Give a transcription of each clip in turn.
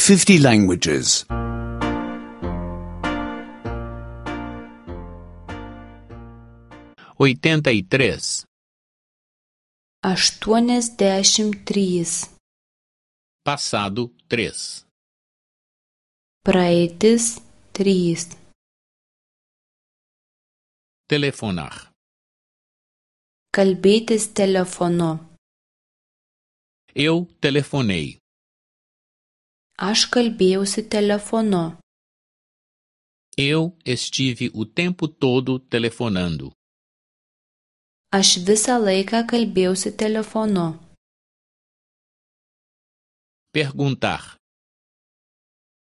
50 languages. 83. 83. Passado 3. Praeitis 3. Telefonar. Kalbėtis telefonu. Eu telefonei. Aš kalbėjausi telefonu. Eu estive o tempo todo telefonando. Aš visą laiką kalbėjausi telefonu. Perguntar.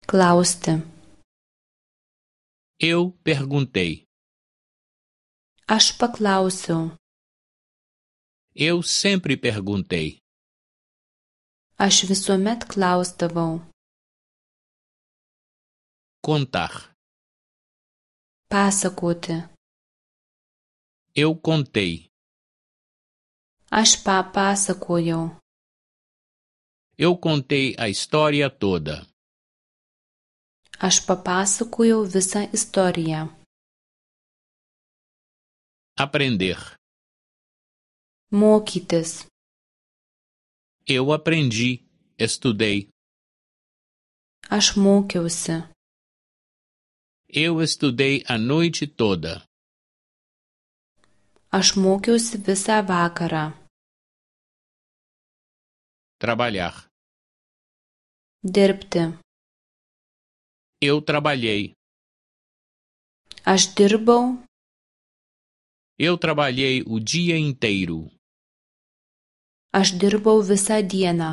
Klausti. Eu perguntei. Aš paklausiau. Eu sempre perguntei. Aš visuomet klausdavau. Contar. Pasakoti. Eu contei. Aš papasakojau. Eu contei a história toda. Aš papasakojau visą istoriją. Aprender. Mokytis. Eu aprendi, estudei. Aš mokiausi. Eu estudei a noite toda. Aš mokiausi visą vakarą. Trabalhar. Dirbti. Eu trabalhei. Aš dirbau. Eu trabalhei o dia inteiro. Aš dirbau visą dieną.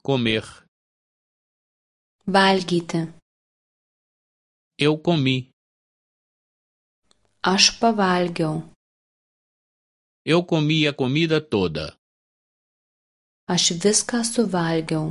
Comer. Valgyti. Eu comi. Aš pavalgiau. Eu comi a comida toda. Aš viską suvalgiau.